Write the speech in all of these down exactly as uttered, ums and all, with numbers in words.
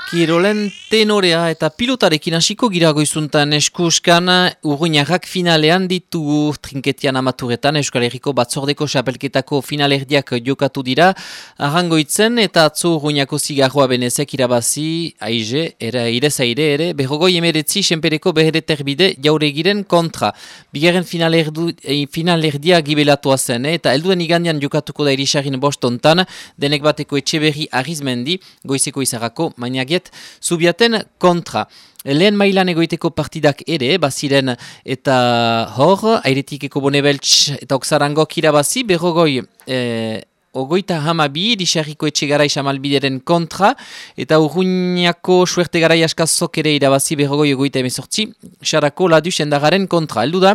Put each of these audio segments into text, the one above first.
Kirolen tenorea eta pilotarekin hasiko gira goizuntan eskuskan Urruñarrak finalean ditugu trinketian amaturetan Euskal Herriko batzordeko xapelketako finalerdiak jokatu dira arrangoitzen eta atzo Urruñako zigarroa benezek irabazi aize, era irezaire ere berrogoi emeretzi senpereko behere terbide jauregiren kontra. Bigarren finalerdu, eh, finalerdia gibelatua zen eh, eta helduen igandian jokatuko da irisarrin bostontan denek bateko Etxeberri Arizmendi goizeko izarako mainagiet Zubiaten kontra. Lehen mailan egoiteko partidak ere, baziren eta hor, airetikeko Bonebeltz eta Oksarangok irabazi, berrogoi eh, ogoita hamabi, Irisarriko Etxegarai Samalbideren kontra, eta Urruñako Suerte Garai Askazok ere irabazi berrogoi ogoita emezortzi, Sarako Laduz endagaren kontra. Heldu da,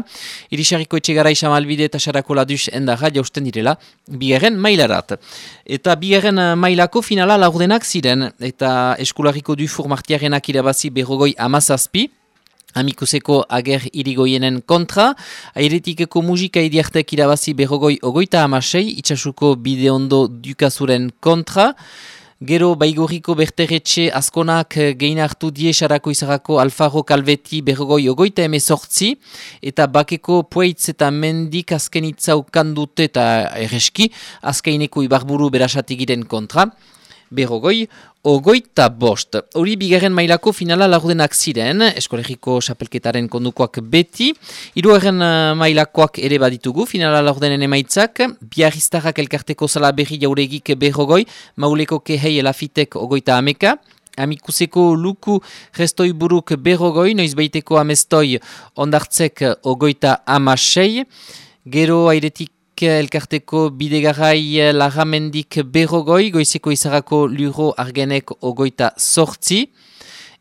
Irisarriko Etxegarai Samalbide eta Sarako Laduz endaga jausten direla, bigarren mailarat. Eta bigarren mailako finala laurdenak ziren, eta Eskularriko Dufour Martiarenak irabazi berrogoi amazazpi, Amikuseko ager irigoienen kontra, airetikeko musika idiartek irabazi berrogoi ogoita amasei, itxasuko bideondo dukazuren kontra, gero baigorriko berteretxe askonak gein hartu die sarako izarako Alfaro Calveti berrogoi ogoita emezortzi, eta bakeko Pueitz eta Mendik azkenitza ukandute eta erreski, azkaineko ibarburu berasatigiren kontra, berrogoi ogoita bost. Hori bigarren mailako finala laurdenak ziren, Eskolegiko xapelketaren kondukoak beti, hirugarren mailakoak ere baditugu, finala laurdenen emaitzak, Biarriztarrak elkarteko Salaberri jauregik berrogoi, Mauleko Kehei Elafitek ogoita ameka, Amikuseko Luku Restoi Buruk berrogoi, Noizbaiteko Amestoi Ondartzek ogoita amasei, gero airetik elkarteko Bidegarai Larramendik berrogoi, goizeko izarako Luro Argenek ogoita sortzi,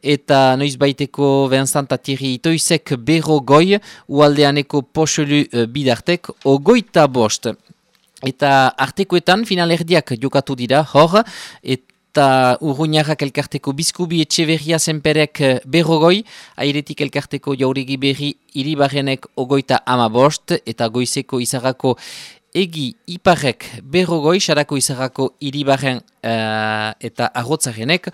eta noizbaiteko Vincent Atiri Itoizek berrogoi, ualdeaneko Poxelu Bidartek ogoita bost. Eta artekoetan finalerdiak jokatu dira, hor, eta eta Urruñarrak elkarteko Bizkubi Etxeberria Zenperek berrogoi, airetik elkarteko Jauregi Berri Iribarrenek ogoita amabost, eta goizeko izarako Egi Iparrek berrogoi, sarako izarako Iribarren uh, eta Arrotzarenek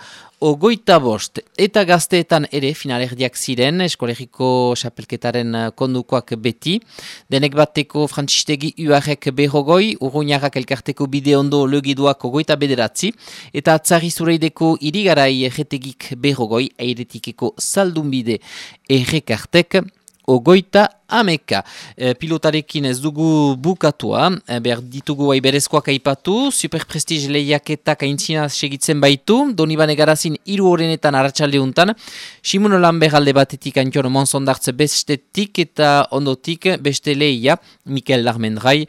ogoita bost. Eta gazteetan ere finalerdiak ziren, Eskolegiko xapelketaren kondukoak beti, denek bateko Frantzistegi Uarrek berrogoi, Urruñarrak elkarteko Bideondo Legiduak ogoita bederatzi, eta Atzarri Zureideko Irigarai erretegik berrogoi, airetikeko Zaldunbide errekartek ogoita ameka. E, pilotarekin ez dugu bukatua, e, behar ditugu aiberezkoak aipatu, superprestige lehiaketak aintzina segitzen baitu, Donibane Garazin hiru horrenetan arratsaldeuntan, Simon Lambert alde batetik Antion Monsondartz bestetik eta ondotik beste lehia, Mikel Larmendrai,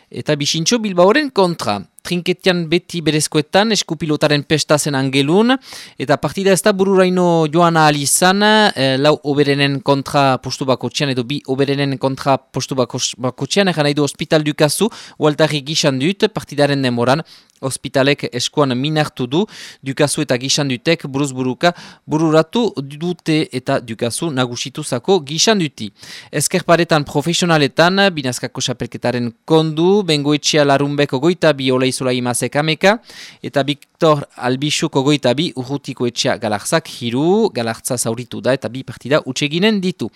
eta Bixintxo Bilbaoren kontra. Trinketian beti berezkoetan, eskupilotaren pestazen angelun, eta partida ez da bururaino joan ahal izan, e, lau oberenen kontra postu bakotxean, edo bi oberenen kontra postu bakotxean, egan nahi du Hospital Dukazu, ualtarri gixan dut, partidaren demoran, Hospitalek eskuan minartu du, Dukazu eta gixan dutek buruz buruka bururatu dute eta Dukazu nagusituzako gixan duti. Ezkerparetan profesionaletan, binazkako xapelketaren kondu, Bengoetxea Larunbek ogoita bi Oleizola Imazek ameka, eta Victor Albixuk ogoita bi Urrutiko Etxea Galartzak hiru, Galartza zauritu da eta bi partida utseginen ditu.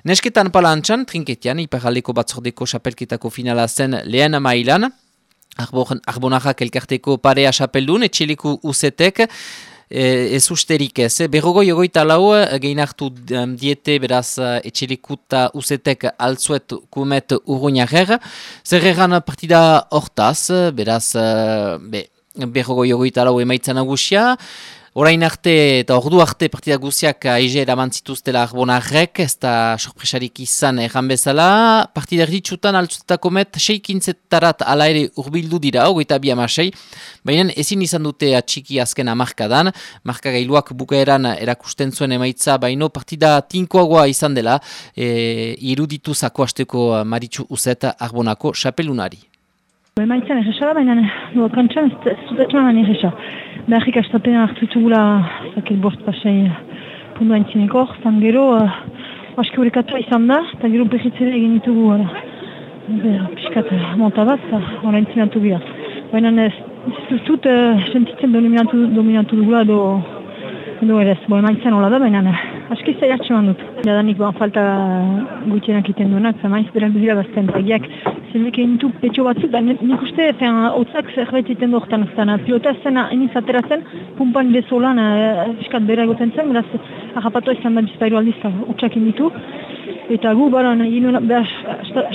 Nesketan palantxan, trinketian, iparaldeko batzordeko xapelketako finala zen lehen mailan, Arbonarrak elkarteko Parea xapeldun, etxeleku usetek, e, ez usterik ez. Berrogoi ogoita lau, gehin hartu um, diete beraz etxelekuta usetek altzuet kumet Urruñarrer. Zerreran partida hortaz, beraz be, berrogoi ogoita lau emaitza nagusia, orain arte eta ordu arte partida guziak aize eraman zituztela Arbonarrek, ez da sorpresarik izan erran bezala. Partida erditsutan altzutetako met seikintzettarat ala ere urbildu dira, hogeita bi amasei, baina ezin izan dute atxiki azken amarkadan, markagailuak bukaeran erakusten zuen emaitza, baino partida tinkoagoa izan dela, e, iruditu zako hasteko Maritxu Uzet Arbonako xapelunari. Emaitzan erresa da, baina duak kantxan ez zutetxan baina erresa. Beharrik astapena hartu itugula zakil bost pasai pundu haintzineko, zan gero uh, aski horrekatua izan da, eta gero behitzere egin ditugu piskat monta bat, hori haintzinatu gira. Baina ez dut uh, sentitzen dominatu, dominatu dugula edo Edo ere ez, bo emaitzen hola da, baina aski zaiatxe man dut. Jadanik ba, falta gutienak iten duenak, zamaiz berak dira bazten tagiak. Zilbeke intu petxo batzuk, da nik uste, hotzak zerbait iten duortan azten. Pilota zena eniz ateratzen, pumpan bezolan fiskat bera egoten zen, beraz, harrapatu izan da bizpairu aldiz, utxak inditu. Eta gu, bara, nahi nuen, behar,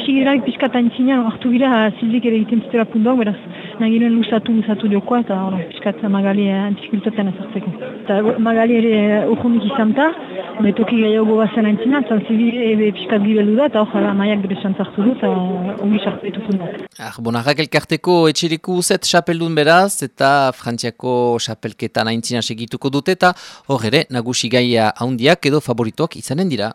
sigirarik piskata entzinean, hartu gira, Silvik ere egiten zitela pundoak, beraz, nahi nuen lusatu, lusatu diokoa, eta hori, piskat Magali antifikultaten ezartzeko. Eta Magali ere urkundik izan ta, betoki gehiago bazen entzinean, eta Silvik ere piskat gibeldu da, eta hori, maiak bere xantzartu du, eta ongi sartu pundoak. Ah, Bonarrak elkarteko etxeriku zet xapeldun beraz, eta Frantziako xapelketan aintzina segituko dute, eta hor ere, nagusi gaia haundiak edo favoritoak izanen dira.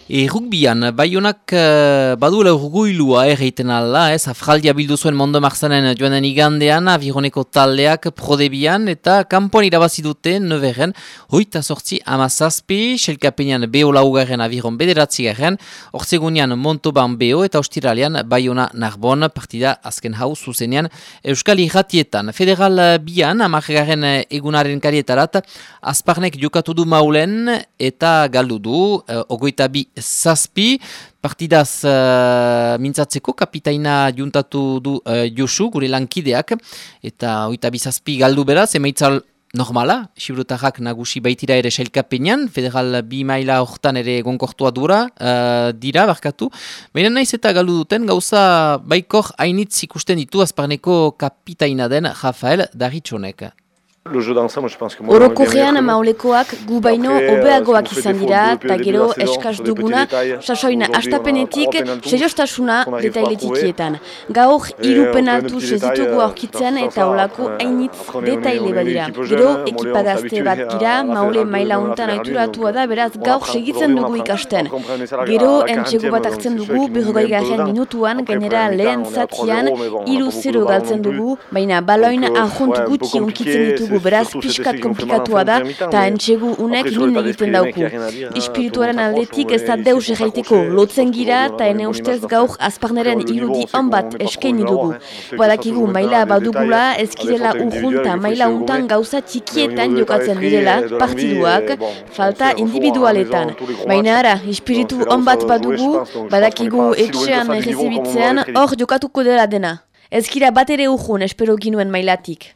E rugbian, Baionak uh, baduela urguilua erreiten alla, ez, afraldia bildu zuen Mondo Marzanen joanen igandean, Avironeko taldeak prodebian, eta kanpoan irabazi dute, Neveren, hoita sortzi amazazpi, Selkapenean Beo laugarren, Aviron bederatzi garren, Ortzegunean Montauban Beo, eta ostiralean Baiona Narbon, partida azken hau zuzenean Euskal Irratietan. Federal bian, amargarren egunaren karietarat, Azparnek jokatu du maulen, eta galdu du, uh, ogoita bi zazpi, partidaz uh, mintzatzeko kapitaina juntatu du uh, Josu, gure lankideak, eta oita bi zazpi galdu beraz, emaitzal normala, Xibrutarak nagusi baitira ere sailkapenean, federal bi maila hortan ere gonkortua dura, uh, dira, barkatu. Baina naiz eta galdu duten, gauza baikor hainitz ikusten ditu Azparneko kapitaina den Rafael Daritxonek. Orokorrean maulekoak gu baino hobeagoak izan dira, eta gero eskaz duguna, sasoina astapenetik seriostasuna detailetikietan. Gaur hiru penaltu sezitugu aurkitzen eta olako hainitz detaile badira. Gero ekipagazte bat gira, maule maila untan aituratua da, beraz gaur segitzen dugu ikasten. Gero entxego bat hartzen dugu berrogei garren minutuan, gainera lehen zatian hiru zero galtzen dugu, baina baloin ahont gutxi unkitzen ditugu. Beraz, piskat komplikatua da, eta entxegu unek min egiten dauku. Espirituaren aldetik ez da deus erraiteko lotzen gira, eta ene ustez gaur Azparneren irudi on bat eskaini dugu. Badakigu maila badugula, ez girela urrun eta maila untan gauza txikietan jokatzen direla, partiduak, falta individualetan. Baina ara, espiritu on bat badugu, badakigu etxean errezibitzean, hor jokatuko dela dena. Ez gira bat ere urrun, espero ginuen mailatik.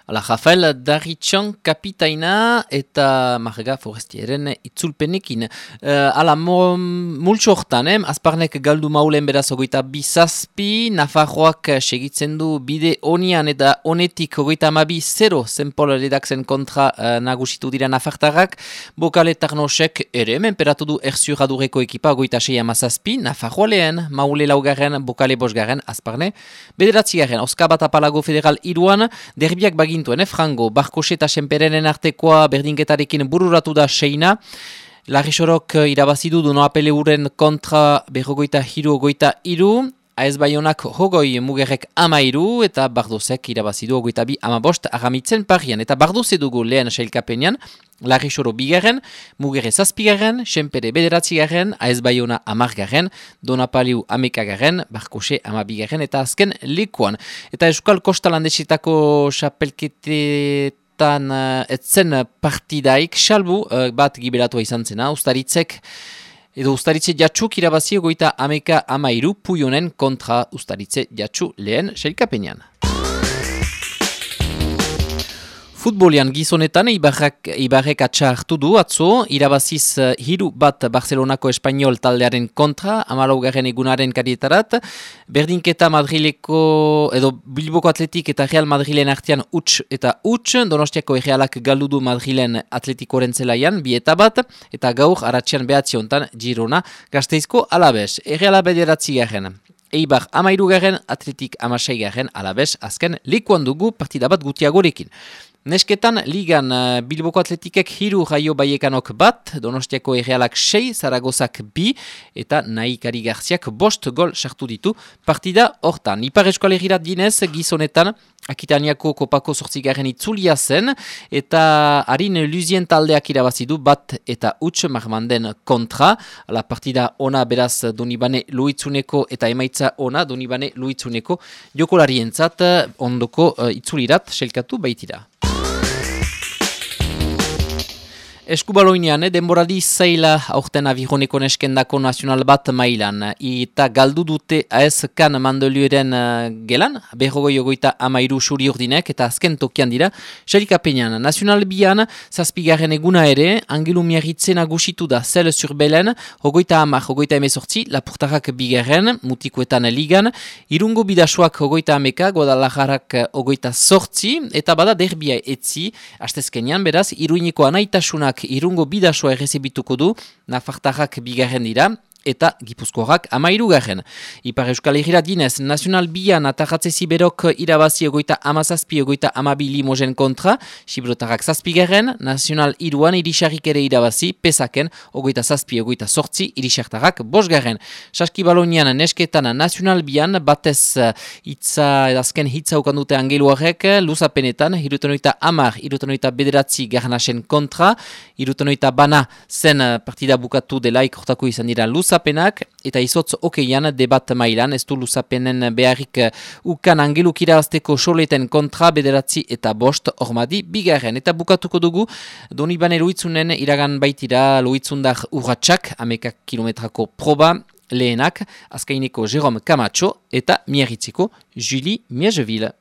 Ala, Rafael Daritxon kapitaina eta Marga Forestieren itzulpenekin. Uh, ala, multxo hortan, eh? Azparnek galdu maulen beraz ogoita bizazpi, Nafarroak segitzen du bide onian eta onetik ogoita amabi zero zenpol redakzen kontra uh, nagusitu dira Nafartarrak. Bokale Tarnosek ere, menperatu du erzuradureko ekipa ogoita sei amazazpi, Nafarroa lehen, maule laugarren, Bokale bosgarren, Azparne. Bederatzi garren, Oska bat apalago federal iruan, derbiak bagin Tuen, eh, Frango, Barkose eta Senperenen artekoa berdinketarekin bururatu da seina. Larrisorok irabazidu du noapele uren kontra berrogoita hiru ogoita iru. Aez Baionak hogoi mugerrek ama iru eta Bardozek irabazidu ogoita bi ama bost agamitzen parian. Eta Bardoze dugu lehen sailkapenean, Larrisoro bigarren, Mugerre zazpigarren, Senpere bederatzigarren, Aez Baiona amargarren, Donapaliu amekagarren, Barkose amabigarren eta azken lekuan. Eta Euskal Kosta Landesetako xapelketetan uh, etzen partidaik, salbu uh, bat gibelatua izan zena, Ustaritzek, edo Ustaritze jatxuk irabazi goita ameka amairu Puionen kontra Ustaritze jatxu lehen sailkapenean. Futbolian gizonetan Ibarrak, Ibarrek atxa hartu du atzo, irabaziz uh, hiru bat Barcelonako Espainol taldearen kontra, amalaugarren egunaren karietarat, berdinketa Madrileko, edo Bilboko Atletik eta Real Madrilen artean huts eta huts, Donostiako Errealak galdu du Madrilen Atletikoren zelaian, bi eta bat, eta gaur aratzean behatzi hontan Girona Gasteizko Alabes, Erreala bederatzi garen. Eibar amairugarren, Atletik amaseigarren, Alabes azken lekuan dugu partida bat gutiagorekin. Nesketan, ligan uh, Bilboko Atletikek hiru Raio Baiekanok bat, Donostiako Errealak sei, Zaragozak bi, eta Naikari Garziak bost gol sartu ditu partida hortan. Ipar Eskualegirat dinez, gizonetan, Akitaniako kopako zortzigarren itzulia zen, eta harin Luzien taldeak irabazidu bat eta huts Marmanden kontra. La partida ona beraz Donibane Luitzuneko eta emaitza ona Donibane Luitzuneko jokolarientzat ondoko uh, itzulirat selkatu baitira. Eskubaloinean, eh, denboraldi zaila aurten avironeko neskendako nazional bat mailan. Eta galdu dute A S Kan mandolioaren uh, gelan, berrogoi ogoita amairu suri urdinek, eta azken tokian dira, xerikapenean. Nazional bian, zazpigarren eguna ere, Angelu Miarritzen agusitu da zel zurbelen, ogoita amar, ogoita emezortzi, Lapurtarrak bigarren, mutikoetan ligan, Irungo bidasoak ogoita ameka, Guadalajarak ogoita sortzi, eta bada derbia etzi, hastezkenean beraz, Iruineko anaitasunak Irungo bidasoa errezibituko du, Nafartarrak bigarren dira, eta Gipuzkoarrak amairugarren. Ipar Euskal Herria dinez, Nazional bian atarratze ziberok irabazi egoita amazazpi egoita amabi limogen kontra, Xibrotarrak zazpigarren, Nazional iruan irisarrik ere irabazi, pesaken, ogoita zazpi egoita sortzi, irisartarrak bosgarren. Saskibalonian nesketan Nazional bian, batez hitza, azken hitza ukandute angeluarek, luzapenetan, irutenoita amar, irutenoita bederatzi garnasen kontra, irutenoita bana zen partida bukatu delaik hortako izan dira luzapenetan, Luzapenak, eta izotz okeian debat mailan, ez du luzapenen beharrik ukan angeluk irabazteko soleten kontra bederatzi eta bost ormadi bigarren. Eta bukatuko dugu, Donibane Loitzunen iragan baitira Loitzundar urratxak, amekak kilometrako proba, lehenak, azkaineko Jerome Camacho eta Miarritzeko Julie Miegeville.